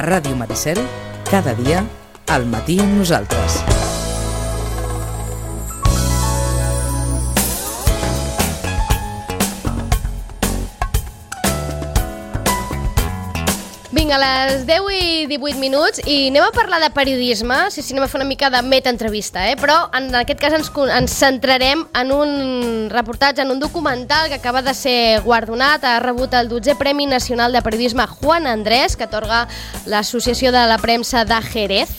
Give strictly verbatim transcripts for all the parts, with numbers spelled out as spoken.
Ràdio Maricel, cada dia, al matí amb nosaltres. Vinga, a les deu i divuit minuts i anem a parlar de periodisme, sí, sí, anem a fer una mica de meta-entrevista, eh? Però en aquest cas ens, ens centrarem en un reportatge, en un documental que acaba de ser guardonat, ha rebut el dotzè Premi Nacional de Periodisme Juan Andrés, que atorga l'Associació de la Premsa de Jerez,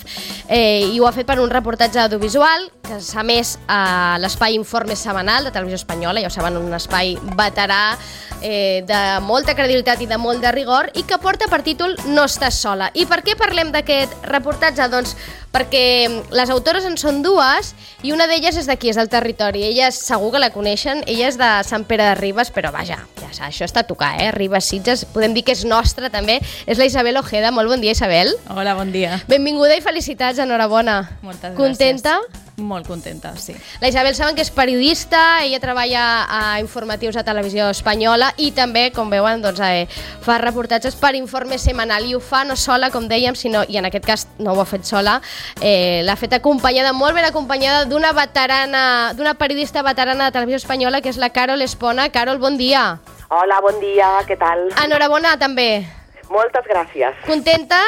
eh, i ho ha fet per un reportatge audiovisual que s'ha emès a l'espai Informe Setmanal de Televisió Espanyola, ja ho saben, un espai veterà eh, de molta credibilitat i de molt de rigor, i que porta per títol No estàs sola. I per què parlem d'aquest reportatge? Doncs perquè les autores en són dues i una d'elles és d'aquí, és del territori. Elles segur que la coneixen, ella és de Sant Pere de Ribes, però vaja, ja saps, això està a tocar, eh? Ribes, Sitges, podem dir que és nostra també. És la Isabel Ojeda. Molt bon dia, Isabel. Hola, bon dia. Benvinguda i felicitats, enhorabona. Moltes gràcies. Contenta? Molt contenta, sí. La Isabel saben que és periodista, ella treballa a informatius a Televisió Espanyola i també, com veuen, doncs, eh, fa reportatges per Informe Setmanal, i ho fa no sola, com dèiem, sinó, i en aquest cas no ho ha fet sola, eh, l'ha fet acompanyada, molt ben acompanyada d'una veterana, d'una periodista veterana de Televisió Espanyola, que és la Carol Espona. Carol, bon dia. Hola, bon dia, què tal? Enhorabona també. Moltes gràcies. Contenta?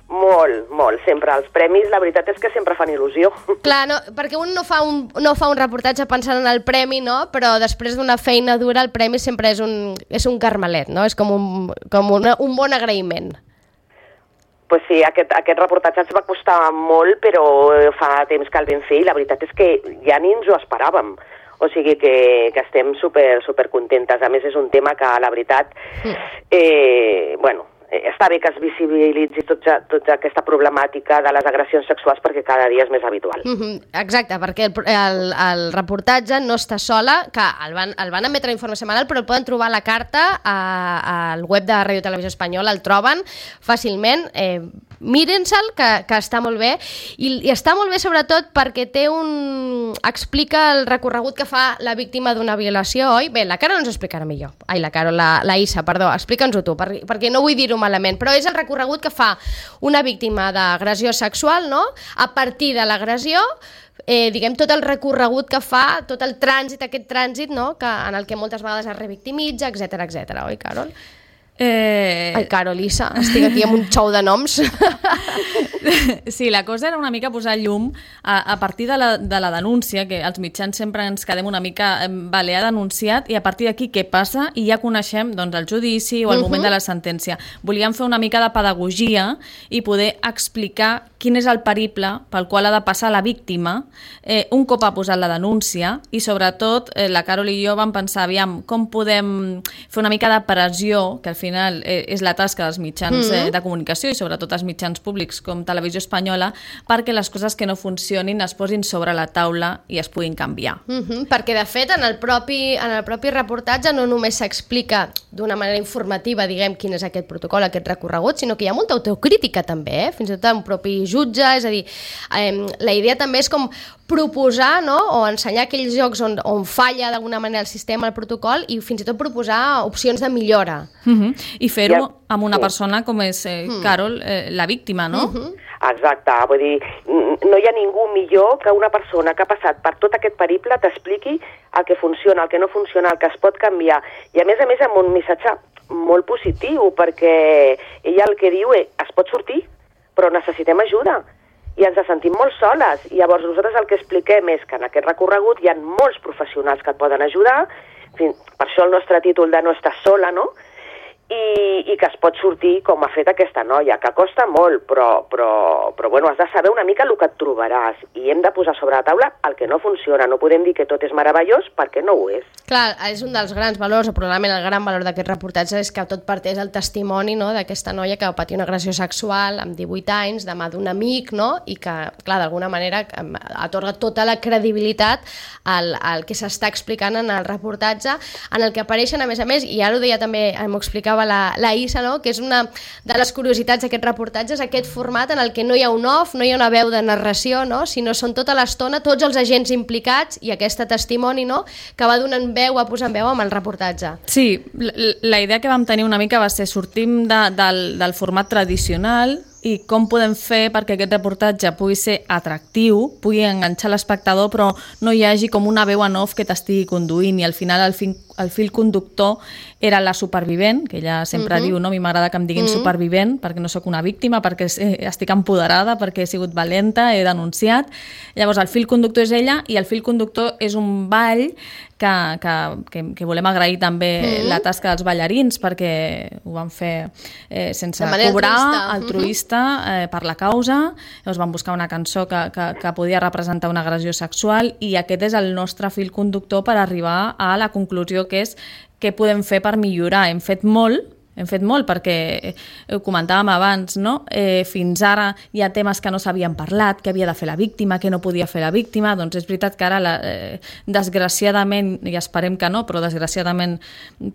Molt, molt. Sempre els premis, la veritat és que sempre fan il·lusió. Clar, no, perquè un no fa un, no fa un reportatge pensant en el premi, no? Però després d'una feina dura el premi sempre és un, és un carmelet, no? És com un, com una, un bon agraïment. Pues sí, aquest, aquest reportatge ens va costar molt, però fa temps que el vam fer i la veritat és que ja ni ens ho esperàvem. O sigui que, que estem super, super contentes. A més, és un tema que, la veritat, eh, bueno, està bé que es visibilitzi tota, tota aquesta problemàtica de les agressions sexuals perquè cada dia és més habitual. Mm-hmm, exacte, perquè el, el, el reportatge No està sola, que el van, el van emetre a Informe Setmanal, però el poden trobar a la carta a, al web de Ràdio Televisió Espanyola, el troben fàcilment. Eh, Mírense'l, que, que està molt bé, i, i està molt bé sobretot perquè té un... explica el recorregut que fa la víctima d'una violació, oi? Bé, la Carol ens ho explicarà millor. Ai, la Carol, la, la Isa, perdó, explica'ns-ho tu, per, perquè no vull dir-ho malament, però és el recorregut que fa una víctima d'agressió sexual, no? A partir de l'agressió, eh, diguem, tot el recorregut que fa, tot el trànsit, aquest trànsit, no? Que, en el que moltes vegades es revictimitza, etcètera, etcètera, oi, Carol? Eh... Ai, Carol, Isa, estic aquí amb un xou de noms. Sí, la cosa era una mica posar llum a, a partir de la, de la denúncia, que els mitjans sempre ens quedem una mica, vale, ha denunciat, i a partir d'aquí què passa, i ja coneixem doncs, el judici o el uh-huh. moment de la sentència. Volíem fer una mica de pedagogia i poder explicar quin és el periple pel qual ha de passar la víctima eh, un cop ha posat la denúncia, i sobretot eh, la Carol i jo vam pensar, aviam, com podem fer una mica de pressió, que al final eh, és la tasca dels mitjans uh-huh. eh, de comunicació i sobretot els mitjans públics com Televisió Espanyola, perquè les coses que no funcionin es posin sobre la taula i es puguin canviar. Uh-huh. Perquè, de fet, en el propi, en el propi reportatge no només s'explica d'una manera informativa, diguem, quin és aquest protocol, aquest recorregut, sinó que hi ha molta autocrítica també, eh? Fins i tot un propi jutge, és a dir, eh, la idea també és com proposar, no?, o ensenyar aquells llocs on, on falla d'alguna manera el sistema, el protocol, i fins i tot proposar opcions de millora. Uh-huh. I fer-ho amb una persona com és eh, uh-huh. Carol, eh, la víctima, no? Uh-huh. Exacte, vull dir, no hi ha ningú millor que una persona que ha passat per tot aquest periple t'expliqui el que funciona, el que no funciona, el que es pot canviar, i a més a més amb un missatge molt positiu, perquè ella el que diu és, es pot sortir, però necessitem ajuda, i ens sentim molt soles, i llavors nosaltres el que expliquem és que en aquest recorregut hi ha molts professionals que et poden ajudar, per això el nostre títol de No estàs sola, no?, I, i que es pot sortir com ha fet aquesta noia, que costa molt, però, però, però bueno, has de saber una mica el que et trobaràs, i hem de posar sobre la taula el que no funciona. No podem dir que tot és meravellós perquè no ho és. Clar, és un dels grans valors, o probablement el gran valor d'aquest reportatge és que tot parteix del testimoni, no?, d'aquesta noia que va patir una agressió sexual amb divuit anys, de mà d'un amic, no?, i que, clar, d'alguna manera atorga tota la credibilitat al, al que s'està explicant en el reportatge, en el que apareixen, a més a més, i ara ho deia també, m'ho explicava La, la Isa, no?, que és una de les curiositats d'aquest reportatge, és aquest format en el que no hi ha un off, no hi ha una veu de narració, no?, sinó són tota l'estona tots els agents implicats i aquest testimoni, no?, que va donant veu, a posar veu amb el reportatge. Sí, la, la idea que vam tenir una mica va ser sortim de, del, del format tradicional i com podem fer perquè aquest reportatge pugui ser atractiu, pugui enganxar l'espectador, però no hi hagi com una veu en off que t'estigui conduint, i al final el, fin, el fil conductor era la supervivent, que ella sempre uh-huh. diu, no? A mi m'agrada que em diguin uh-huh. supervivent, perquè no sóc una víctima, perquè estic empoderada, perquè he sigut valenta, he denunciat. Llavors el fil conductor és ella, i el fil conductor és un ball que, que, que, que volem agrair també uh-huh. la tasca dels ballarins, perquè ho van fer eh, sense cobrar, altruista, altruista uh-huh. eh, per la causa. Llavors van buscar una cançó que, que, que podia representar una agressió sexual, i aquest és el nostre fil conductor per arribar a la conclusió que és què podem fer per millorar. Hem fet molt, hem fet molt perquè, ho comentàvem abans, no? Eh, fins ara hi ha temes que no s'havien parlat, què havia de fer la víctima, què no podia fer la víctima. Doncs és veritat que ara, la, eh, desgraciadament, i esperem que no, però desgraciadament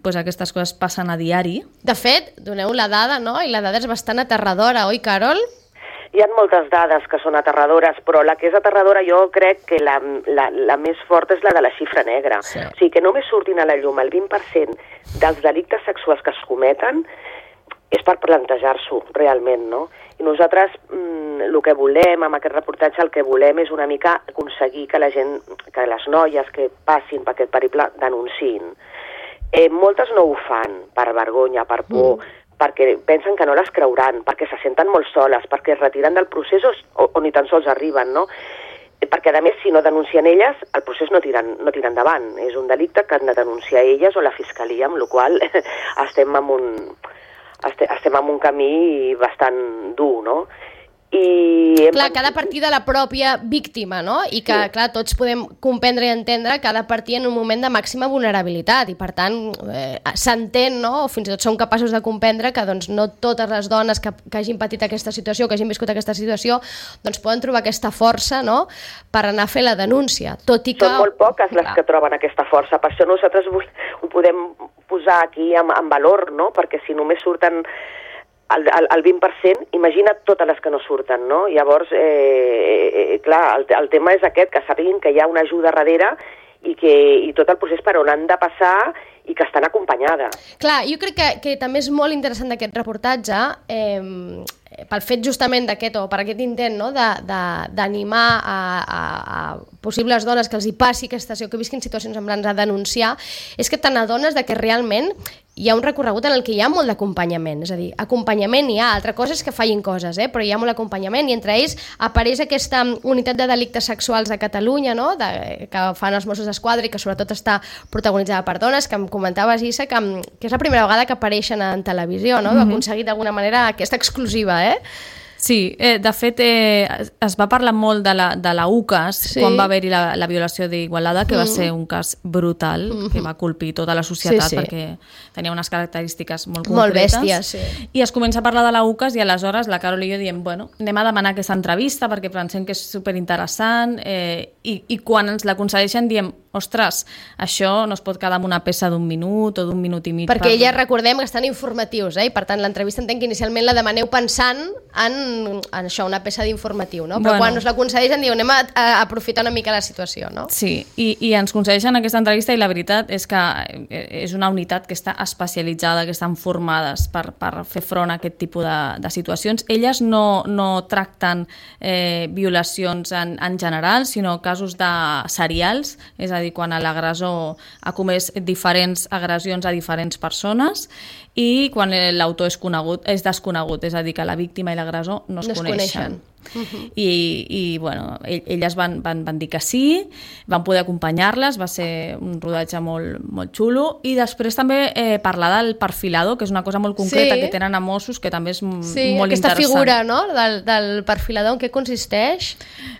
pues, aquestes coses passen a diari. De fet, doneu la dada, no? I la dada és bastant aterradora, oi, Carol? Hi ha moltes dades que són aterradores, però la que és aterradora jo crec que la, la, la més forta és la de la xifra negra. Sí. O sigui, que només surtin a la llum el vint per cent dels delictes sexuals que es cometen és per plantejar-s'ho realment, no? I nosaltres mm, el que volem amb aquest reportatge, el que volem és una mica aconseguir que la gent, que les noies que passin per aquest periple denunciïn. Eh, moltes no ho fan per vergonya, per por, mm. perquè pensen que no les creuran, perquè se senten molt soles, perquè es retiren del procés o, o ni tan sols arriben, no? Perquè, a més, si no denuncien elles, el procés no tira, no tira endavant. És un delicte que han de denunciar elles o la fiscalia, amb la qual cosa estem en un, estem en un camí bastant dur, no? I hem... Clar, que ha de partir de la pròpia víctima, no? I que, sí. clar, tots podem comprendre i entendre que ha de partir en un moment de màxima vulnerabilitat i, per tant, eh, s'entén, no? O fins i tot som capaços de comprendre que doncs, no totes les dones que, que hagin patit aquesta situació, que hagin viscut aquesta situació, doncs poden trobar aquesta força, no?, per anar a fer la denúncia, tot i que... Són molt poques les clar. que troben aquesta força, per això nosaltres ho podem posar aquí en, en valor, no?, perquè si només surten... El, el, el vint per cent, imagina't totes les que no surten, no? Llavors, eh, eh, clar, el, el tema és aquest, que sàpiguin que hi ha una ajuda darrere i, que, i tot el procés per on han de passar i que estan acompanyades. Clar, jo crec que, que també és molt interessant d'aquest reportatge, eh, pel fet justament d'aquest, o per aquest intent, no?, d'animar a, a, a possibles dones que els hi passi aquesta situació, que visquin situacions semblants a denunciar, és que te n'adones de que realment hi ha un recorregut en el que hi ha molt d'acompanyament, és a dir, acompanyament hi ha, altra cosa és que fallin coses, eh? Però hi ha molt d'acompanyament i entre ells apareix aquesta unitat de delictes sexuals a Catalunya, no?, de, que fan els Mossos d'Esquadra i que sobretot està protagonitzada per dones, que em comentaves, Issa, que, que és la primera vegada que apareixen en televisió, no?, mm-hmm. aconseguit d'alguna manera aquesta exclusiva, eh? Sí, eh, de fet eh, es va parlar molt de la, de la U C A S sí. quan va haver-hi la, la violació d'Igualada, que mm. va ser un cas brutal, mm-hmm. que va colpir tota la societat sí, sí. perquè tenia unes característiques molt concretes. Molt bèsties, sí. I es comença a parlar de la U C A S i aleshores la Carol i jo diem, bueno, anem a demanar aquesta entrevista perquè pensem que és superinteressant eh, i, i quan ens la concedeixen diem, ostres, això no es pot quedar amb una peça d'un minut o d'un minut i mig. Perquè per... elles recordem que estan informatius, eh? I per tant l'entrevista entenc que inicialment la demaneu pensant en, en això, una peça d'informatiu, no? Però bueno. quan us la concedeixen diu anem a, a aprofitar una mica la situació, no? Sí, i, i ens concedeixen aquesta entrevista i la veritat és que és una unitat que està especialitzada, que estan formades per, per fer front a aquest tipus de, de situacions. Elles no, no tracten eh, violacions en, en general, sinó casos de serials, és a dir, quan l'agressor ha comès diferents agressions a diferents persones i quan l'autor és conegut, és desconegut, és a dir, que la víctima i l'agressor no es, no es coneixen. coneixen. Uh-huh. I, i bueno, elles van, van, van dir que sí, van poder acompanyar-les, va ser un rodatge molt, molt xulo, i després també eh, parlar del perfilador, que és una cosa molt concreta sí. que tenen a Mossos, que també és sí, molt aquesta interessant. Figura, no?, del, del perfilador, en què consisteix?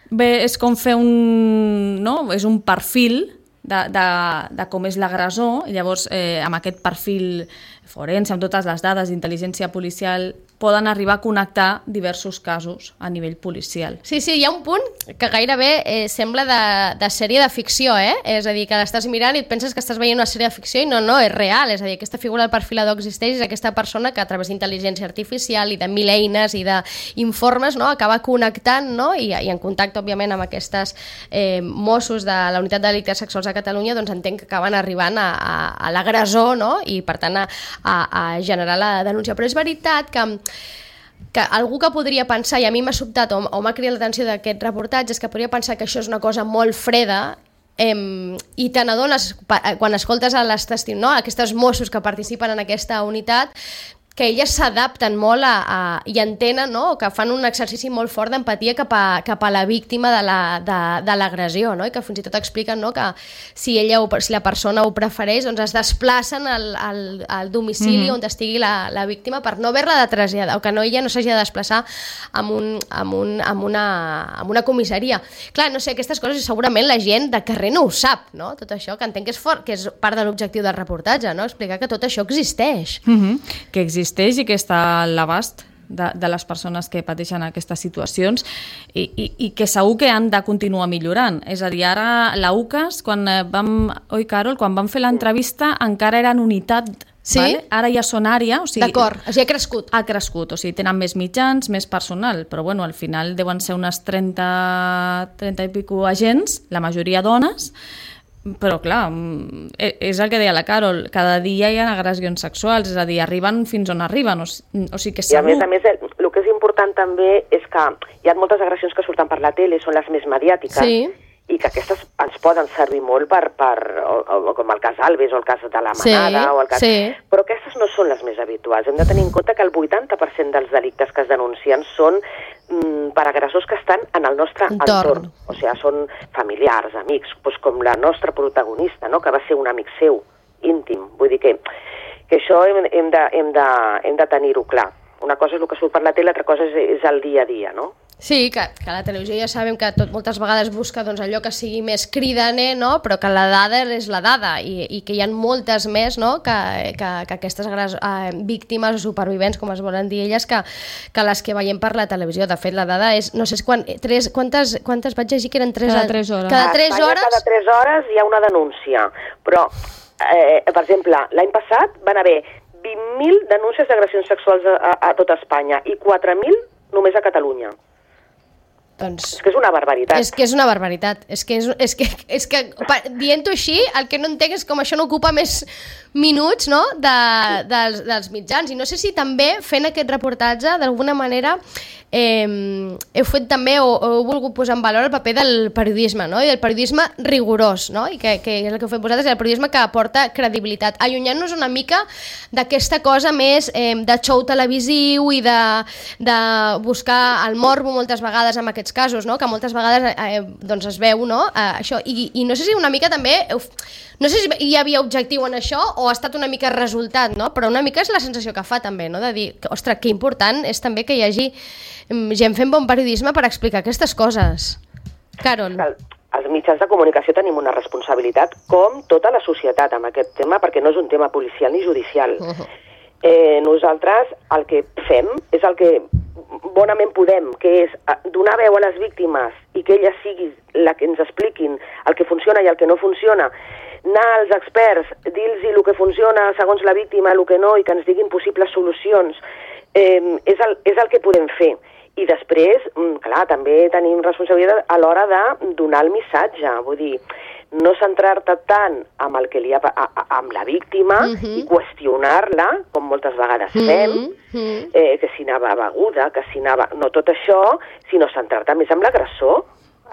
Bé, és com fer un... no? És un perfil de, de, de com és l'agressor, i llavors eh, amb aquest perfil forense, amb totes les dades d'intel·ligència policial, poden arribar a connectar diversos casos a nivell policial. Sí, sí, hi ha un punt que gairebé eh, sembla de, de sèrie de ficció, eh? És a dir, que l'estàs mirant i et penses que estàs veient una sèrie de ficció i no, no, és real. És a dir, aquesta figura del perfilador existeix, és aquesta persona que a través d'intel·ligència artificial i de mil eines i d'informes, no?, acaba connectant, no?, I, i en contacte, òbviament, amb aquestes eh, Mossos de la Unitat de Delictes Sexuals a Catalunya, doncs entenc que acaben arribant a, a, a l'agressor, no?, i per tant a, a, a generar la denúncia. Però és veritat que que algú que podria pensar, i a mi m'ha sobtat o, o m'ha cridat l'atenció d'aquest reportatge, és que podria pensar que això és una cosa molt freda, eh, i te n'adones quan escoltes a les testi- no? aquests Mossos que participen en aquesta unitat, que elles s'adapten molt a, a, i entenen, no? que fan un exercici molt fort d'empatia cap, a, cap a la víctima de l'agressió, la, no? I que fins i tot expliquen, no? que si ella o si la persona ho prefereix, doncs es desplacen al, al, al domicili mm-hmm. on estigui la, la víctima per no haver-la de traslladar, o que no, ella no s'hagi de desplaçar amb, un, amb, un, amb, una, amb una comissaria. Clar, no sé, aquestes coses segurament la gent de carrer no ho sap, no? Tot això, que entenc que és, fort, que és part de l'objectiu del reportatge, no? Explicar que tot això existeix. Mm-hmm. Que existeix existeix i que està a l'abast de, de les persones que pateixen aquestes situacions i, i, i que segur que han de continuar millorant. És a dir, ara la U C A S, quan vam, oi Carol, quan vam fer l'entrevista encara eren unitat, sí? Vale? Ara ja són àrea. O sigui, d'acord, o sigui, ha crescut. Ha crescut, o sigui, tenen més mitjans, més personal, però bueno, al final deuen ser unes trenta, trenta i pico agents, la majoria dones. Però clar, és el que deia la Carol, cada dia hi ha agressions sexuals, és a dir, arriben fins on arriben, o, o sigui que segur... I a més a més, el, el que és important també és que hi ha moltes agressions que surten per la tele, són les més mediàtiques, sí. i que aquestes ens poden servir molt per, per o, o, com el cas Alves o el cas de la Manada, sí, o el cas... sí. Però aquestes no són les més habituals. Hem de tenir en compte que el vuitanta per cent dels delictes que es denuncien són mm, per agressors que estan en el nostre entorn. entorn. O sigui, són familiars, amics, doncs com la nostra protagonista, no? Que va ser un amic seu, íntim. Vull dir que, que això hem, hem de, hem de, hem de tenir-ho clar. Una cosa és el que surt per la tele, l'altra cosa és, és el dia a dia, no? Sí, que, que la televisió ja sabem que tot, moltes vegades busca doncs, allò que sigui més cridaner, no? Però que la dada és la dada i, i que hi ha moltes més, no? que, que, que aquestes eh, víctimes o supervivents, com es volen dir elles, que, que les que veiem per la televisió. De fet, la dada és, no sé quan, tres, quantes, quantes vaig llegir que eren tres, cada tres hores. Cada tres hores? Cada tres hores hi ha una denúncia, però, eh, per exemple, l'any passat van haver vint mil denúncies d'agressions sexuals a, a, a tot Espanya i quatre mil només a Catalunya. Doncs, és que és una barbaritat. És que és una barbaritat. És que, és, és que, és que dient-ho així, el que no entenc és com això no ocupa més minuts, no? de, dels, dels mitjans. I no sé si també fent aquest reportatge, d'alguna manera, eh, heu fet també o, o heu volgut posar en valor el paper del periodisme, no? I del periodisme rigorós, no? I que, que és el que heu fet vosaltres, el periodisme que aporta credibilitat. Allunyant-nos una mica d'aquesta cosa més eh, de show televisiu i de, de buscar el morbo moltes vegades amb aquests casos, no? Que moltes vegades eh, doncs es veu, no? Eh, això. I, I no sé si una mica també... No sé si hi havia objectiu en això o ha estat una mica resultat, no? Però una mica és la sensació que fa també, no? De dir, que, ostres, que important és també que hi hagi gent fent bon periodisme per explicar aquestes coses. Carol. Els mitjans de comunicació tenim una responsabilitat, com tota la societat, amb aquest tema, perquè no és un tema policial ni judicial. Uh-huh. Eh, nosaltres el que fem és el que bonament podem, que és donar veu a les víctimes i que elles siguin la que ens expliquin el que funciona i el que no funciona, anar als experts, dir-los el que funciona segons la víctima, el que no, i que ens diguin possibles solucions, eh, és, el, és el que podem fer. I després, clar, també tenim responsabilitat a l'hora de donar el missatge, vull dir, no centrar-te tant amb el que li ha, a, a, amb la víctima uh-huh. i qüestionar-la, com moltes vegades fem, uh-huh. eh, que si anava beguda, que si anava... No tot això, sinó centrar-te més amb l'agressor.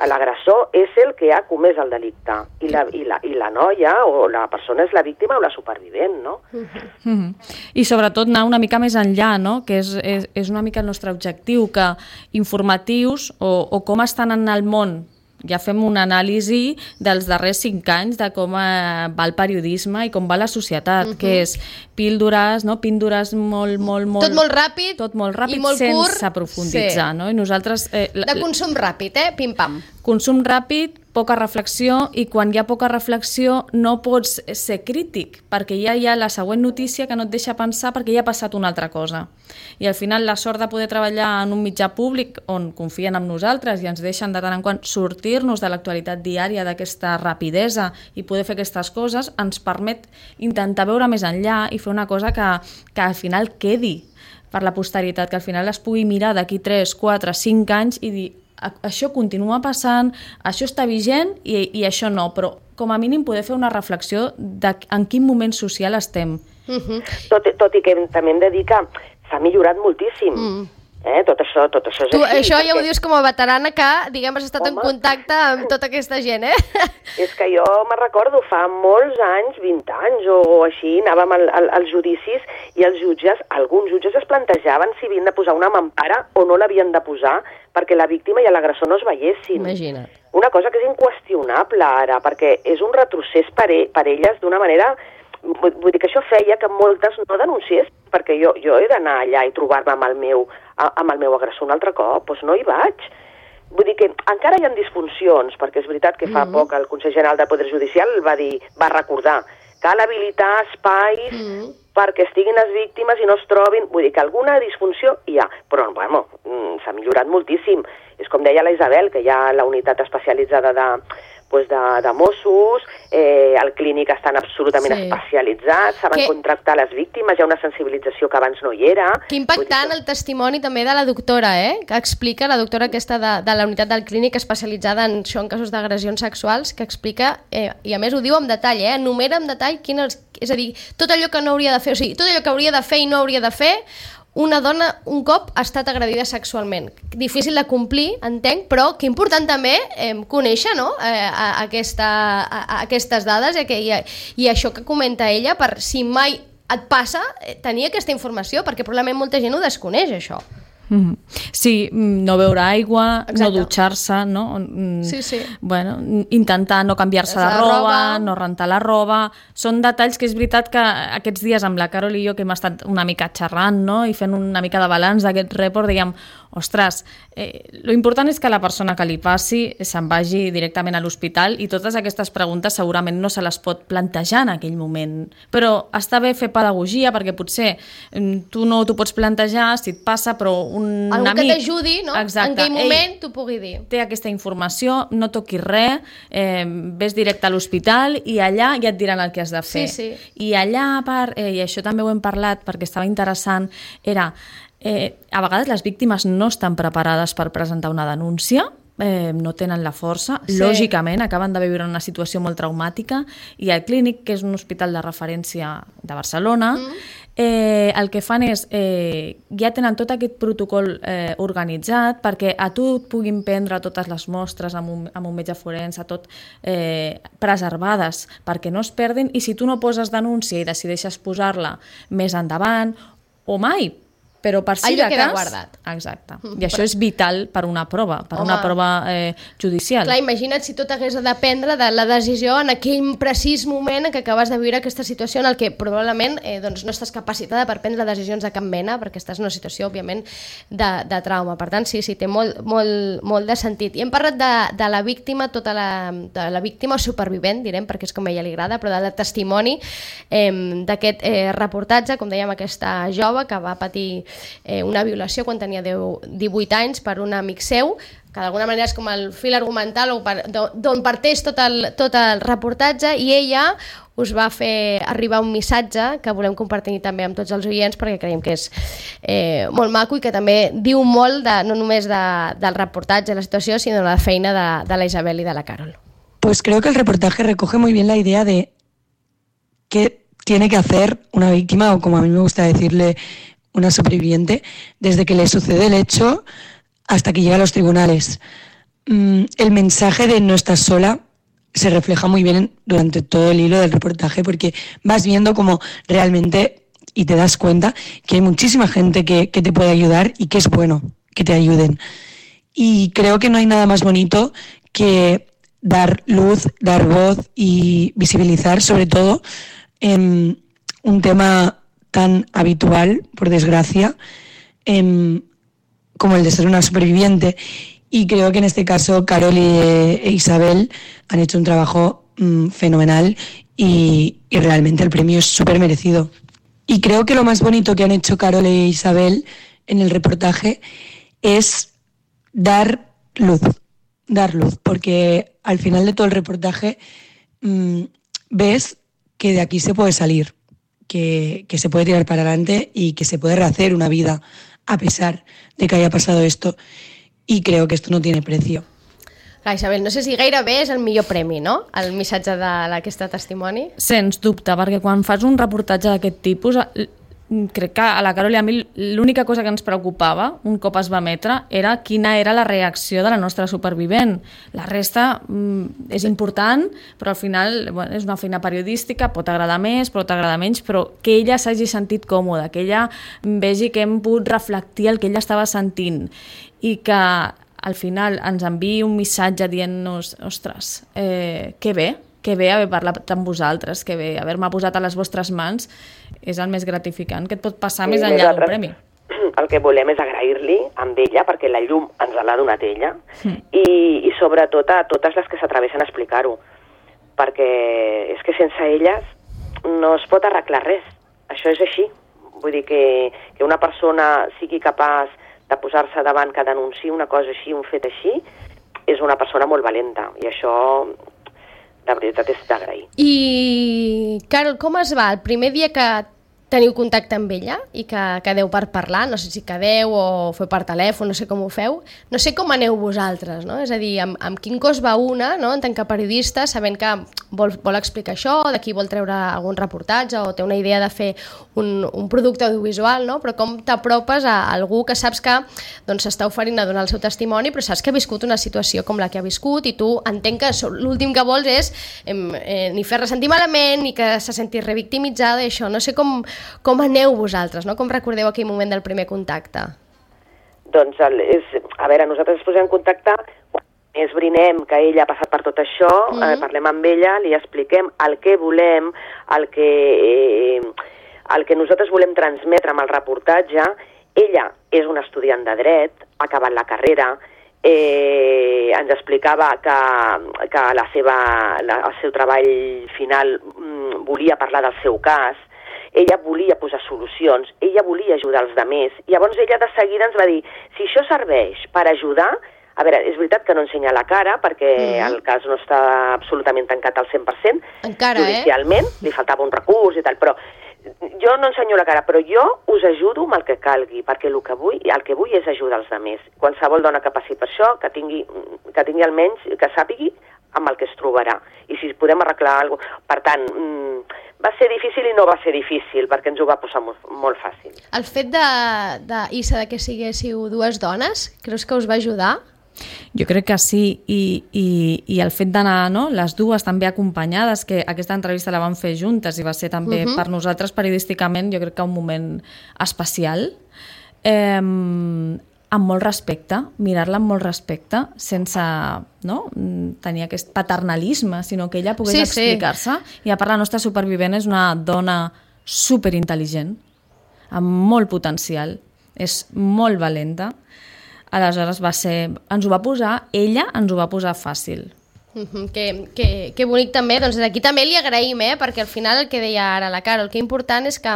L'agressor és el que ha comès el delicte i la, i, la, i la noia o la persona és la víctima o la supervivent, no? Mm-hmm. I sobretot anar una mica més enllà, no? Que és, és, és una mica el nostre objectiu, que informatius o, o com estan en el món, ja fem una anàlisi dels darrers cinc anys de com eh, va el periodisme i com va la societat, uh-huh. que és píldores, no? Píldores molt, molt, molt... Tot molt ràpid, tot molt ràpid i molt sense curt. Aprofunditzar, sí. No? I nosaltres... Eh, de consum ràpid, eh? Pim-pam. Consum ràpid, poca reflexió, i quan hi ha poca reflexió no pots ser crític, perquè ja hi ha la següent notícia que no et deixa pensar perquè ja ha passat una altra cosa. I al final la sort de poder treballar en un mitjà públic on confien en nosaltres i ens deixen de tant en quant sortir-nos de l'actualitat diària, d'aquesta rapidesa i poder fer aquestes coses, ens permet intentar veure més enllà i fer una cosa que, que al final quedi per la posteritat, que al final es pugui mirar d'aquí tres, quatre, cinc anys i dir això continua passant, això està vigent i, i això no, però com a mínim poder fer una reflexió de en quin moment social estem. Uh-huh. Tot, tot i que també hem de dir que s'ha millorat moltíssim. Mm. Eh? Tot això, tot això és tu, així. això perquè... ja ho dius com a veterana que, diguem, has estat Home. en contacte amb tota aquesta gent, eh? És que jo me recordo, fa molts anys, vint anys o, o així, anàvem al, al, als judicis i els jutges, alguns jutges es plantejaven si havien de posar una mampara o no l'havien de posar perquè la víctima i l'agressor no es veiessin. Imagina't. Una cosa que és inqüestionable ara, perquè és un retrocés per, e per elles d'una manera... Vull dir que això feia que moltes no denunciés, perquè jo, jo he d'anar allà i trobar-me amb, el meu, amb el meu agressor un altre cop, doncs no hi vaig. Vull dir que encara hi ha disfuncions, perquè és veritat que fa mm-hmm. poc el Consell General del Poder Judicial va dir, va recordar, cal habilitar espais mm-hmm. perquè estiguin les víctimes i no es trobin. Vull dir que alguna disfunció hi ha, però bueno, s'ha millorat moltíssim. És com deia la Isabel, que hi ha la unitat especialitzada de... Pues de, de Mossos, eh, el clínic estan absolutament sí. especialitzats, saben que... contractar les víctimes, hi ha una sensibilització que abans no hi era. Que impactant el testimoni també de la doctora, eh? Que explica, la doctora aquesta de, de la unitat del clínic especialitzada en això, en casos d'agressions sexuals, que explica, eh, i a més ho diu amb detall, eh? Enumera amb detall quin és, és a dir, tot allò que no hauria de fer, o sigui, tot allò que hauria de fer i no hauria de fer, una dona un cop ha estat agredida sexualment. Difícil de complir, entenc, però que important també eh, conèixer, no? eh, a, a, aquesta, a, a aquestes dades i, i, i això que comenta ella, per si mai et passa eh, tenir aquesta informació, perquè probablement molta gent ho desconeix, això. Mm-hmm. Sí, no beure aigua, Exacte. no dutxar-se, no? Sí, sí. Bueno, intentar no canviar-se la, la roba, roba, no rentar la roba... Són detalls que és veritat que aquests dies amb la Carol i jo que hem estat una mica xerrant, no? I fent una mica de balanç d'aquest report, diguem, ostres, eh, lo important és que la persona que li passi se'n vagi directament a l'hospital i totes aquestes preguntes segurament no se les pot plantejar en aquell moment. Però està bé fer pedagogia perquè potser tu no t'ho pots plantejar si et passa, però un Algú amic... que t'ajudi, no? Exacte. En aquell moment t'ho pugui dir. Té aquesta informació, no toquis res, eh, ves directe a l'hospital i allà ja et diran el que has de fer. Sí, sí. I allà, a part, eh, i això també ho hem parlat perquè estava interessant, era... Eh, a vegades les víctimes no estan preparades per presentar una denúncia, eh, no tenen la força, sí. lògicament acaben de viure una situació molt traumàtica i el Clínic, que és un hospital de referència de Barcelona, mm. eh, el que fan és eh, ja tenen tot aquest protocol eh, organitzat perquè a tu et puguin prendre totes les mostres amb un, amb un metge forense, tot eh, preservades perquè no es perdin, i si tu no poses denúncia i decideixes posar-la més endavant o mai, però per si allò de queda cas... guardat. Exacte. I això és vital per una prova, per Home. una prova eh, judicial. Clar, imagina't si tot hagués de dependre de la decisió en aquell precís moment en què acabes de viure aquesta situació en el que probablement eh, doncs no estàs capacitada per prendre decisions de cap mena, perquè estàs en una situació, òbviament, de, de trauma. Per tant, sí, sí, té molt, molt, molt de sentit. I hem parlat de, de la víctima, tota la, de la víctima o supervivent, direm, perquè és com a ella li agrada, però del testimoni eh, d'aquest eh, reportatge, com dèiem, aquesta jove que va patir Eh, una violació quan tenia deu, divuit anys per un amic seu, que d'alguna manera és com el fil argumental d'on parteix tot el, tot el reportatge, i ella us va fer arribar un missatge que volem compartir també amb tots els oients perquè creiem que és eh, molt maco i que també diu molt de, no només de, del reportatge, de la situació, sinó de la feina de, de la Isabel i de la Carol. Pues creo que el reportaje recoge muy bien la idea de qué tiene que hacer una víctima, o como a mí me gusta decirle, una superviviente, desde que le sucede el hecho hasta que llega a los tribunales. Mm, el mensaje de no estás sola se refleja muy bien durante todo el hilo del reportaje, porque vas viendo como realmente, y te das cuenta que hay muchísima gente que, que te puede ayudar y que es bueno que te ayuden. Y creo que no hay nada más bonito que dar luz, dar voz y visibilizar, sobre todo, en un tema tan habitual, por desgracia, eh, como el de ser una superviviente. Y creo que en este caso Carol y e Isabel han hecho un trabajo mmm, fenomenal y, y realmente el premio es súper merecido. Y creo que lo más bonito que han hecho Carol e Isabel en el reportaje es dar luz, dar luz, porque al final de todo el reportaje mmm, ves que de aquí se puede salir. Que, que se puede tirar para adelante y que se puede rehacer una vida a pesar de que haya pasado esto, y creo que esto no tiene precio. Clar, Isabel, no sé si gairebé és el millor premi, no?, el missatge d'aquest testimoni. Sens dubte, perquè quan fas un reportatge d'aquest tipus, crec que a la Carol i a mi l'única cosa que ens preocupava un cop es va emetre era quina era la reacció de la nostra supervivent. La resta mm, és important, però al final bueno, és una feina periodística, pot agradar més, pot agradar menys, però que ella s'hagi sentit còmoda, que ella vegi que hem pogut reflectir el que ella estava sentint i que al final ens enviï un missatge dient-nos, ostres, eh, que bé, que bé haver parlat amb vosaltres, que bé haver-me posat a les vostres mans, és el més gratificant que et pot passar sí, més enllà d'un premi. El que volem és agrair-li amb ella, perquè la llum ens l'ha donat ella, mm. i, i sobretot a totes les que s'atreveixen a explicar-ho, perquè és que sense elles no es pot arreglar res. Això és així. Vull dir que, que una persona sigui capaç de posar-se davant que denunciï una cosa així, un fet així, és una persona molt valenta, i això la veritat és d'agrair. I, Carol, com es va el primer dia que teniu contacte amb ella i que quedeu per parlar? No sé si quedeu o feu per telèfon, no sé com ho feu. No sé com aneu vosaltres, no? És a dir, amb, amb quin cos va una, no?, en tant que periodista, sabent que vol, vol explicar això, d'aquí vol treure algun reportatge o té una idea de fer un, un producte audiovisual, no? Però com t'apropes a algú que saps que doncs, s'està oferint a donar el seu testimoni, però saps que ha viscut una situació com la que ha viscut i tu entenc que l'últim que vols és eh, ni fer-la sentir malament, ni que se senti revictimitzada i això. No sé com, com aneu vosaltres, no? Com recordeu aquell moment del primer contacte? Doncs, el, és, a veure, nosaltres ens posem en contacte, esbrinem que ella ha passat per tot això, mm-hmm. eh, parlem amb ella, li expliquem el que volem, el que, eh, el que nosaltres volem transmetre amb el reportatge. Ella és una estudiant de dret, ha acabat la carrera, eh, ens explicava que, que la seva, la, el seu treball final mm, volia parlar del seu cas, ella volia posar solucions, ella volia ajudar els altres, i llavors ella de seguida ens va dir, si això serveix per ajudar, a veure, és veritat que no ensenya la cara, perquè mm. el cas no està absolutament tancat al cent per cent, encara, judicialment, eh? Li faltava un recurs i tal, però jo no ensenyo la cara, però jo us ajudo amb el que calgui, perquè el que vull, el que vull és ajudar els altres. Qualsevol dona que passi per això, que tingui, que tingui almenys, que sàpigui amb el que es trobarà, i si podem arreglar alguna cosa. Per tant, va ser difícil i no va ser difícil, perquè ens ho va posar molt, molt fàcil. El fet de, de, Issa, de que siguéssiu dues dones, creus que us va ajudar? Jo crec que sí, i, i, i el fet d'anar, no?, les dues també acompanyades, que aquesta entrevista la vam fer juntes i va ser també uh-huh. per nosaltres periodísticament, jo crec que un moment especial, eh, amb molt respecte, mirar-la amb molt respecte, sense no, tenir aquest paternalisme, sinó que ella pogués sí, explicar-se. Sí. I a part, la nostra supervivent és una dona superintel·ligent, amb molt potencial, és molt valenta. Aleshores va ser, ens ho va posar, ella ens ho va posar fàcil. Uh-huh. Que, que, que bonic també, doncs aquí també li agraïm, eh? Perquè al final el que deia ara la Carol, el que important és que,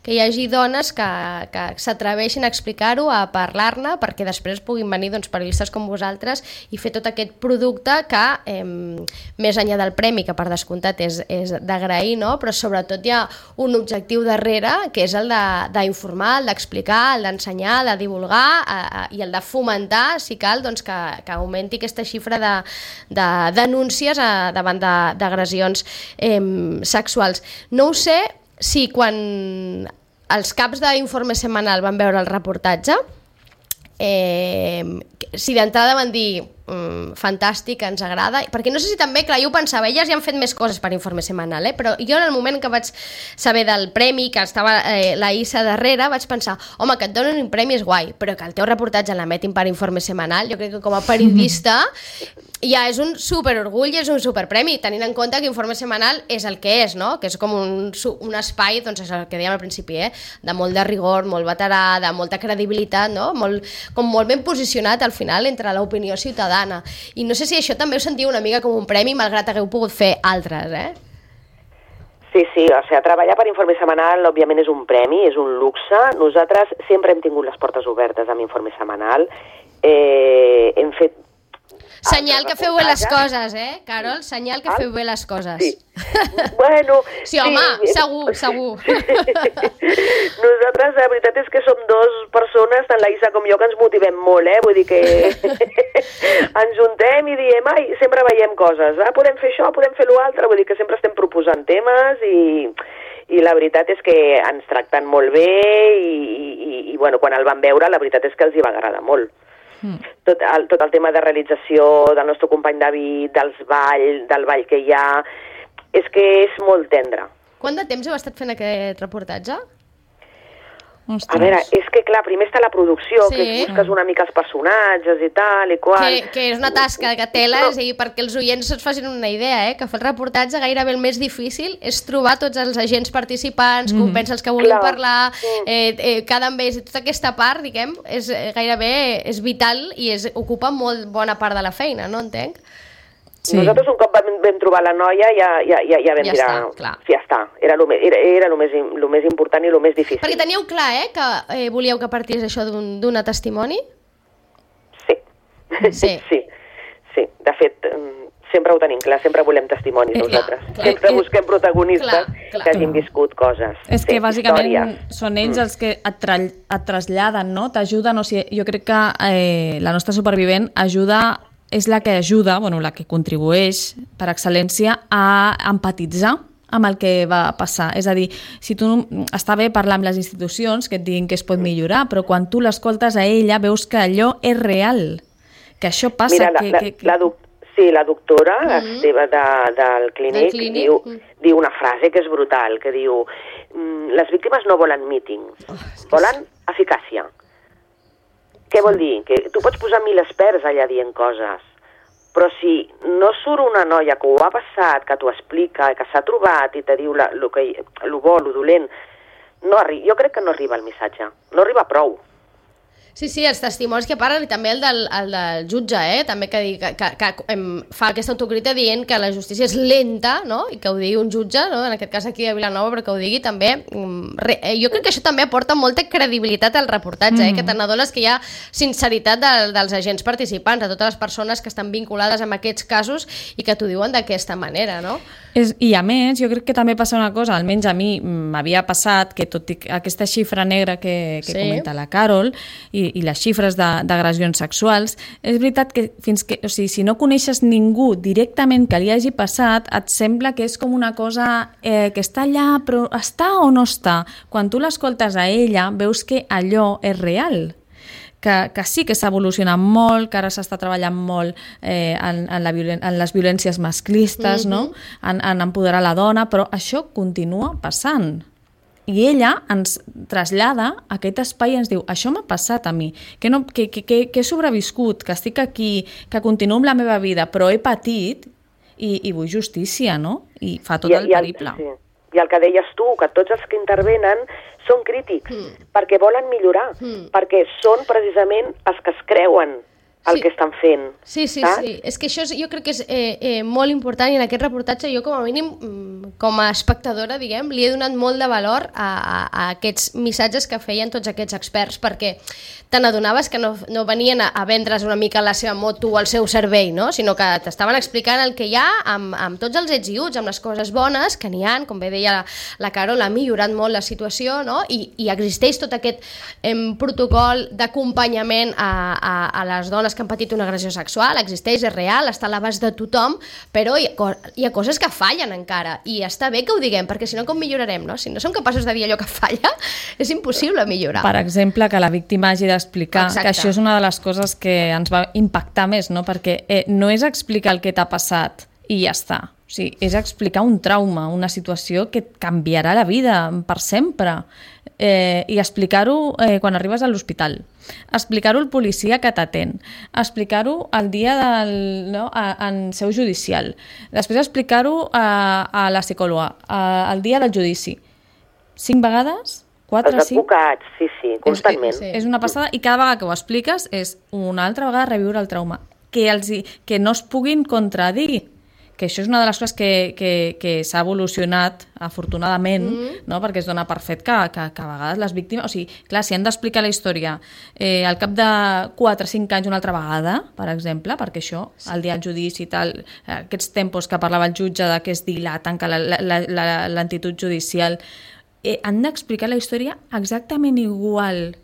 que hi hagi dones que, que s'atreveixin a explicar-ho, a parlar-ne, perquè després puguin venir doncs, periodistes com vosaltres i fer tot aquest producte que, eh, més enllà del premi, que per descomptat és, és d'agrair, no? Però sobretot hi ha un objectiu darrere, que és el d'informar, el d'explicar, el d'ensenyar, el de divulgar a, a, i el de fomentar, si cal, doncs, que, que augmenti aquesta xifra de, de denúncies a, davant d'agressions eh, sexuals. No ho sé si quan els caps d'Informe Setmanal van veure el reportatge, eh, si d'entrada van dir mm, fantàstic, ens agrada, perquè no sé si també, clar, jo ho pensava, elles ja han fet més coses per Informe Setmanal, eh? Però jo en el moment que vaig saber del premi, que estava eh, la Issa darrere, vaig pensar, home, que et donen un premi és guai, però que el teu reportatge l'emetin per Informe Setmanal, jo crec que com a periodista ja és un superorgull i és un superpremi, tenint en compte que Informe Setmanal és el que és, no? Que és com un, un espai, doncs és el que dèiem al principi, eh? De molt de rigor, molt veterà, de molta credibilitat, no? Molt, com molt ben posicionat al final entre l'opinió ciutadana. I no sé si això també ho sentiu una mica com un premi, malgrat hagueu pogut fer altres, eh? Sí, sí, o sigui, treballar per Informe Setmanal òbviament és un premi, és un luxe. Nosaltres sempre hem tingut les portes obertes amb Informe Setmanal. Eh, hem fet senyal que feu bé les coses, eh, Carol? Senyal que feu bé les coses. Sí. Bueno... Sí, home, sí. segur, segur. Nosaltres, la veritat és que som dos persones, tant la Issa com jo, que ens motivem molt, eh? Vull dir que ens juntem i diem, ai, sempre veiem coses, eh? Podem fer això, podem fer l'altre, vull dir que sempre estem proposant temes i, i la veritat és que ens tracten molt bé i, i, i bueno, quan el van veure la veritat és que els hi va agradar molt. Mm. Tot, el, tot el tema de realització del nostre company David, dels ball, del ball que hi ha, és que és molt tendre. Quant de temps heu estat fent aquest reportatge? Ostres. A veure, és que clar, primer està la producció, sí. que busques una mica els personatges i tal i qual. Que, que és una tasca que tela, no. I perquè els oients es facin una idea, eh? Que fer el reportatge gairebé el més difícil és trobar tots els agents participants, mm. convèncer els que vulguin clar. Parlar, eh, eh, cada amb ells, tota aquesta part, diguem, és gairebé és vital i és, ocupa molt bona part de la feina, no entenc? Sí. Nosaltres un cop vam, vam trobar la noia ja, ja, ja, ja vam ja tirar... Està, clar. Sí, ja està. Era el més, era, era lo més, lo més important i el més difícil. Perquè teníeu clar, eh, que eh, volíeu que partís això d'una un, testimoni? Sí. Sí. sí. Sí. De fet, sempre ho tenim clar, sempre volem testimonis eh, nosaltres. Clar, clar. Sempre eh, busquem protagonistes clar, clar. que hagin viscut coses. És que sí, bàsicament històries. Són ells els que et, tra et traslladen, no? T'ajuden, o sigui, jo crec que eh, la nostra supervivent ajuda... és la que ajuda, bueno, la que contribueix per excel·lència a empatitzar amb el que va passar. És a dir, si tu està bé parlar amb les institucions que et diguin que es pot millorar, però quan tu l'escoltes a ella veus que allò és real, que això passa... Mira, la, que, la, que, que... La doc sí, la doctora mm -hmm. Esteve de, del clínic, del clínic. Diu, mm. diu una frase que és brutal, que diu les víctimes no volen míting, oh, volen eficàcia. Què vol dir? Que tu pots posar mil experts allà dient coses, però si no surt una noia que ho ha passat, que t'ho explica, que s'ha trobat i te diu la, lo, que, lo bo, lo dolent, no jo crec que no arriba el missatge, no arriba prou. Sí, sí, els testimonis que parlen i també el del, el del jutge, eh? També que, que, que, que em, fa aquesta autocrítica dient que la justícia és lenta, no? I que ho digui un jutge, no? En aquest cas aquí a Vilanova, però que ho digui també... Re, eh, jo crec que això també aporta molta credibilitat al reportatge, mm. eh? Que te n'adones que hi ha sinceritat de, dels agents participants, de totes les persones que estan vinculades amb aquests casos i que t'ho diuen d'aquesta manera, no? És, I a més, jo crec que també passa una cosa, almenys a mi m'havia passat, que tot i aquesta xifra negra que, que sí. comenta la Carol i, i les xifres d'agressions sexuals, és veritat que fins que, o sigui, si no coneixes ningú directament que li hagi passat, et sembla que és com una cosa eh, que està allà, però està o no està? Quan tu l'escoltes a ella, veus que allò és real. Que, que sí que s'ha evolucionat molt, que ara s'està treballant molt eh, en, en, la violen en les violències masclistes, mm-hmm. no? en, en empoderar la dona, però això continua passant. I ella ens trasllada a aquest espai i ens diu, això m'ha passat a mi, que, no, que, que, que, que he sobreviscut, que estic aquí, que continuo amb la meva vida, però he patit i, i vull justícia, no? I fa tot I, el periple. I el, sí. I el que deies tu, que tots els que intervenen són crítics, mm. perquè volen millorar, mm. perquè són precisament els que es creuen el sí. que estan fent. Sí, sí, saps? sí. És que això és, jo crec que és eh, eh, molt important i en aquest reportatge jo com a mínim, com a espectadora, diguem, li he donat molt de valor a, a, a aquests missatges que feien tots aquests experts, perquè te n'adonaves que no, no venien a, a vendre's una mica la seva moto o el seu servei, no? Sinó que t'estaven explicant el que hi ha amb, amb tots els ets i uts, amb les coses bones que n'hi ha, com bé deia la, la Carol, ha millorat molt la situació, no? I, i existeix tot aquest em, protocol d'acompanyament a, a, a les dones que han patit una agressió sexual, existeix, és real, està a l'abast de tothom, però hi ha, hi ha coses que fallen encara, i està bé que ho diguem, perquè si no com millorarem, no? Si no som capaços de dir allò que falla, és impossible millorar. Per exemple, que la víctima hagi d'explicar, que això és una de les coses que ens va impactar més, no? Perquè eh, no és explicar el que t'ha passat i ja està. O sigui, és explicar un trauma, una situació que et canviarà la vida per sempre. Eh, i explicar-ho eh, quan arribes a l'hospital, explicar-ho al policia que t'atén, explicar-ho el dia del, no, a, en seu judicial, després explicar-ho a, a la psicòloga, a, al dia del judici. Cinc vegades? Quatre, Els advocats, cinc? sí, sí, constantment. És, és, és una passada, i cada vegada que ho expliques és una altra vegada reviure el trauma. Que, els, que no es puguin contradir, que això és una de les coses que, que, que s'ha evolucionat, afortunadament, mm. no? Perquè es dona per fet que, que, que a vegades les víctimes... O sigui, clar, si han d'explicar la història eh, al cap de quatre o cinc anys una altra vegada, per exemple, perquè això, sí. el dia del judici i tal, aquests tempos que parlava el jutge de que es dilaten, que l'entitud judicial, eh, han d'explicar la història exactament igual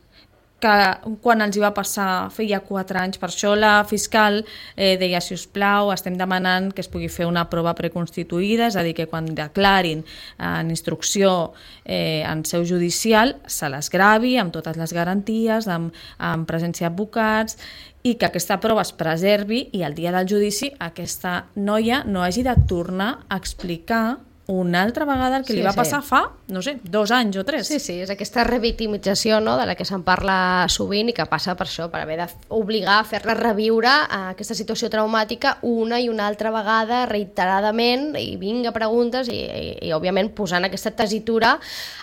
que quan els hi va passar feia quatre anys. Per això la fiscal eh, deia, si us plau, estem demanant que es pugui fer una prova preconstituïda, és a dir, que quan declarin en instrucció eh, en seu judicial se les gravi amb totes les garanties, amb, amb presència d'advocats, i que aquesta prova es preservi i el dia del judici aquesta noia no hagi de tornar a explicar una altra vegada el que Sí, li va sí. passar fa, no sé, dos anys o tres. Sí, sí, és aquesta revictimització, no?, de la que se'n parla sovint i que passa per això, per haver d'obligar a fer-la reviure a aquesta situació traumàtica una i una altra vegada, reiteradament, i vinga preguntes i, i, i òbviament posant aquesta tesitura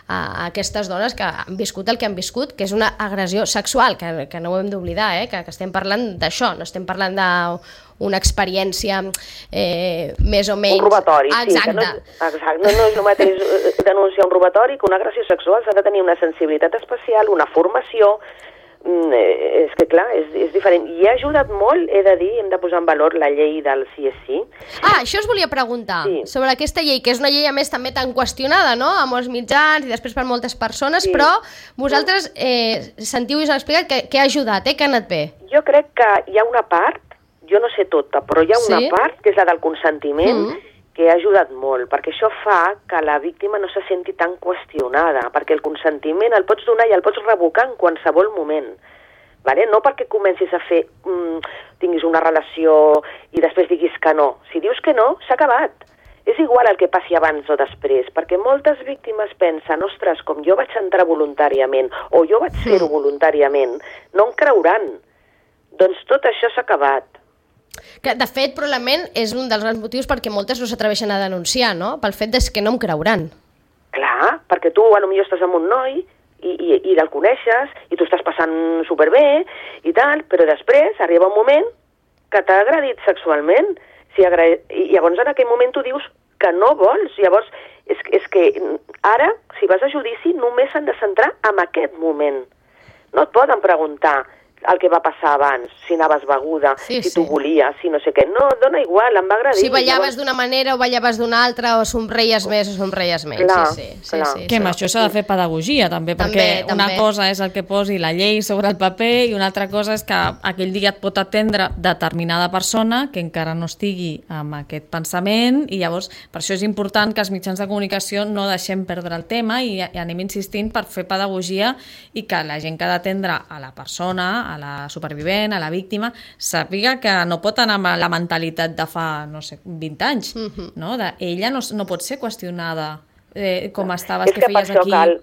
a aquestes dones que han viscut el que han viscut, que és una agressió sexual, que, que no ho hem d'oblidar, eh? que, que estem parlant d'això, no estem parlant de una experiència eh, més o menys... Un robatori, sí. Exacte. Que no, exacte. No, no és el mateix denunciar un robatori que una agressió sexual. S'ha de tenir una sensibilitat especial, una formació... Mm, eh, és que, clar, és, és diferent. I ha ajudat molt, he de dir, hem de posar en valor la llei del sí és sí. Ah, això us volia preguntar, Sí. sobre aquesta llei, que és una llei a més també tan qüestionada, no?, a molts mitjans i després per moltes persones, Sí. però vosaltres eh, sentiu i us han explicat que, que ha ajudat, eh, que ha anat bé. Jo crec que hi ha una part, jo no sé tota, però hi ha una Sí? part, que és la del consentiment, Mm. que ha ajudat molt, perquè això fa que la víctima no se senti tan qüestionada, perquè el consentiment el pots donar i el pots revocar en qualsevol moment. Vale? No perquè comencis a fer, mm, tinguis una relació i després diguis que no. Si dius que no, s'ha acabat. És igual el que passi abans o després, perquè moltes víctimes pensen, ostres, com jo vaig entrar voluntàriament, o jo vaig fer-ho voluntàriament, no em creuran. Doncs tot això s'ha acabat. Que, de fet, probablement és un dels grans motius perquè moltes no s'atreveixen a denunciar, no?, pel fet de que no em creuran. Clar, perquè tu potser estàs amb un noi i, i, i el coneixes i tu estàs passant superbé i tal, però després arriba un moment que t'ha agredit sexualment. Si agra... I llavors en aquell moment tu dius que no vols. Llavors és, és que ara, si vas a judici, només s'han de centrar en aquest moment. No et poden preguntar el que va passar abans, si anaves beguda, Sí, si sí. tu volies, si no sé què. No, dona igual, em va agradir. Si ballaves Llavors- d'una manera o ballaves d'una altra, o somreies més o somreies menys. Clar, sí, sí, sí, clar. sí, Que amb sí. això s'ha de fer pedagogia també, També, perquè una també. cosa és el que posi la llei sobre el paper i una altra cosa és que aquell dia et pot atendre determinada persona que encara no estigui amb aquest pensament, i llavors per això és important que els mitjans de comunicació no deixem perdre el tema i, i anem insistint per fer pedagogia i que la gent que ha d'atendre a la persona, a la supervivent, a la víctima, sàpiga que no pot anar amb la mentalitat de fa, no sé, vint anys, Mhm. no? De, ella no, no pot ser qüestionada eh, com estaves, És que que per feies això aquí. cal,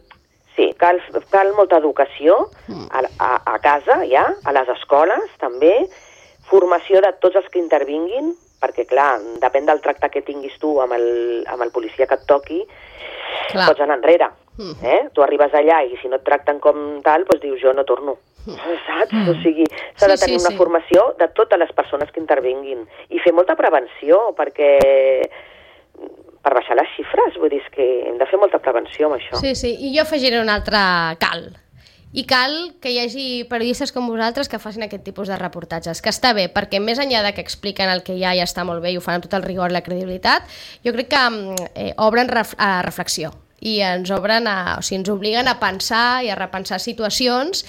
sí, cal, cal molta educació a, a, a casa ja, a les escoles també, formació de tots els que intervinguin, perquè clar, depèn del tracte que tinguis tu amb el, amb el policia que et toqui, Clar. pots anar enrere. Mhm. Eh? Tu arribes allà i si no et tracten com tal, doncs dius jo no torno. Saps? O sigui, s'ha Sí, de tenir sí, una sí. formació de totes les persones que intervinguin i fer molta prevenció, perquè per baixar les xifres, vull dir, és que hem de fer molta prevenció amb això. Sí, sí, i jo afegiré un altre cal. I cal que hi hagi periodistes com vosaltres que facin aquest tipus de reportatges, que està bé, perquè més enllà de que expliquen el que hi ha i està molt bé i ho fan amb tot el rigor i la credibilitat, jo crec que eh, obren ref a reflexió i ens obren a, o sigui, ens obliguen a pensar i a repensar situacions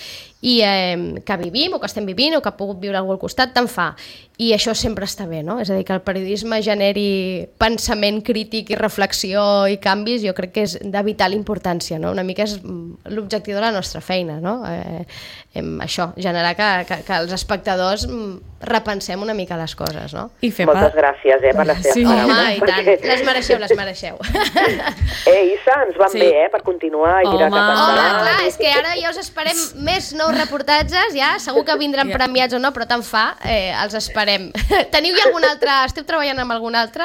i eh, que vivim o que estem vivint o que ha pogut viure algú al costat, tant fa. I això sempre està bé, no? És a dir, que el periodisme generi pensament crític i reflexió i canvis, jo crec que és de vital importància, no? Una mica és mm, l'objectiu de la nostra feina, no? Eh, em, això, generar que, que, que els espectadors mm, repensem una mica les coses, no? I fer Moltes pa... gràcies, eh, per les teves Sí. paraules. Home, i tant, perquè- les mereixeu, les mereixeu. Eh, Issa, ens van Sí. bé, eh, per continuar i tirar Home. cap Home, endavant. clar, és que ara ja us esperem més nous reportatges, ja, segur que vindran Ja. premiats o no, però tant fa, eh, els esperem. Teniu ja algun altre, esteu treballant amb algun altre?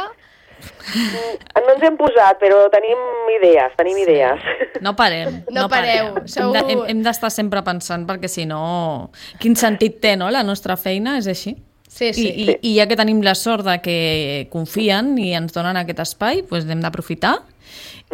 No ens hem posat, però tenim idees, tenim idees. No parem. No pareu, parem. sou- Hem de- Hem, hem d'estar sempre pensant, perquè si no... Quin sentit té, no?, la nostra feina, és així. Sí, sí. I, i, I ja que tenim la sort de que confien i ens donen aquest espai, doncs hem d'aprofitar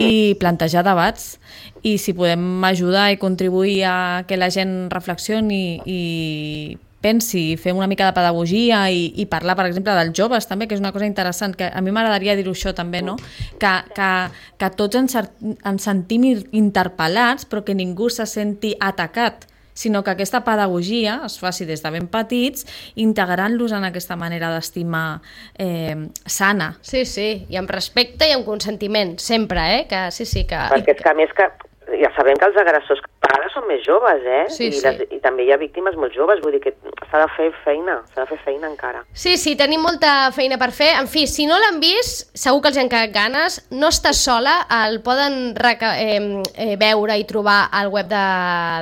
i plantejar debats. I si podem ajudar i contribuir a que la gent reflexioni i pensi, fer una mica de pedagogia i, i parlar, per exemple, dels joves també, que és una cosa interessant, que a mi m'agradaria dir-ho això també, no? Que, que, que tots ens, ens sentim interpel·lats, però que ningú se senti atacat, sinó que aquesta pedagogia es faci des de ben petits, integrant-los en aquesta manera d'estimar eh, sana. Sí, sí, i amb respecte i amb consentiment, sempre, eh? Que sí, sí, que... Perquè és que a més que ja sabem que els agressors a vegades són més joves, eh? Sí, I, sí. les, I també hi ha víctimes molt joves, vull dir que s'ha de fer feina, s'ha de fer feina encara. Sí, sí, tenim molta feina per fer. En fi, si no l'han vist, segur que els hi han quedat ganes. No està sola, el poden reca eh, eh, veure i trobar al web de,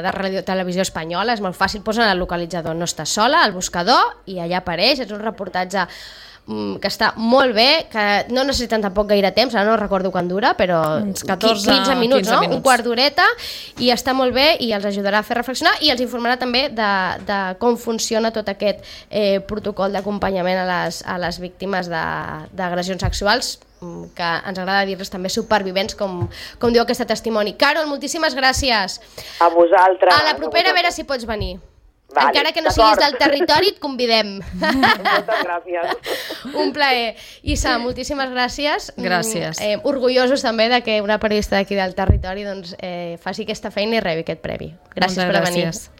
de Radio Televisió Espanyola. És molt fàcil, posen el localitzador No està sola, al buscador, i allà apareix. És un reportatge que està molt bé, que no necessiten tampoc gaire temps, ara no recordo quan dura, però catorze, quinze minuts, quinze no? minuts. Un quart d'horeta, i està molt bé i els ajudarà a fer reflexionar i els informarà també de, de com funciona tot aquest eh, protocol d'acompanyament a les, a les víctimes d'agressions sexuals, que ens agrada dir-les també supervivents, com, com diu aquest testimoni. Carol, moltíssimes gràcies. A vosaltres. A la propera, a veure si pots venir. Vale, encara que no siguis del territori, et convidem. Moltes gràcies. Un plaer. Issa, moltíssimes gràcies. Gràcies. Eh, orgullosos també de que una periodista d'aquí del territori doncs, eh, faci aquesta feina i rebi aquest premi. Gràcies Moltes per venir. gràcies.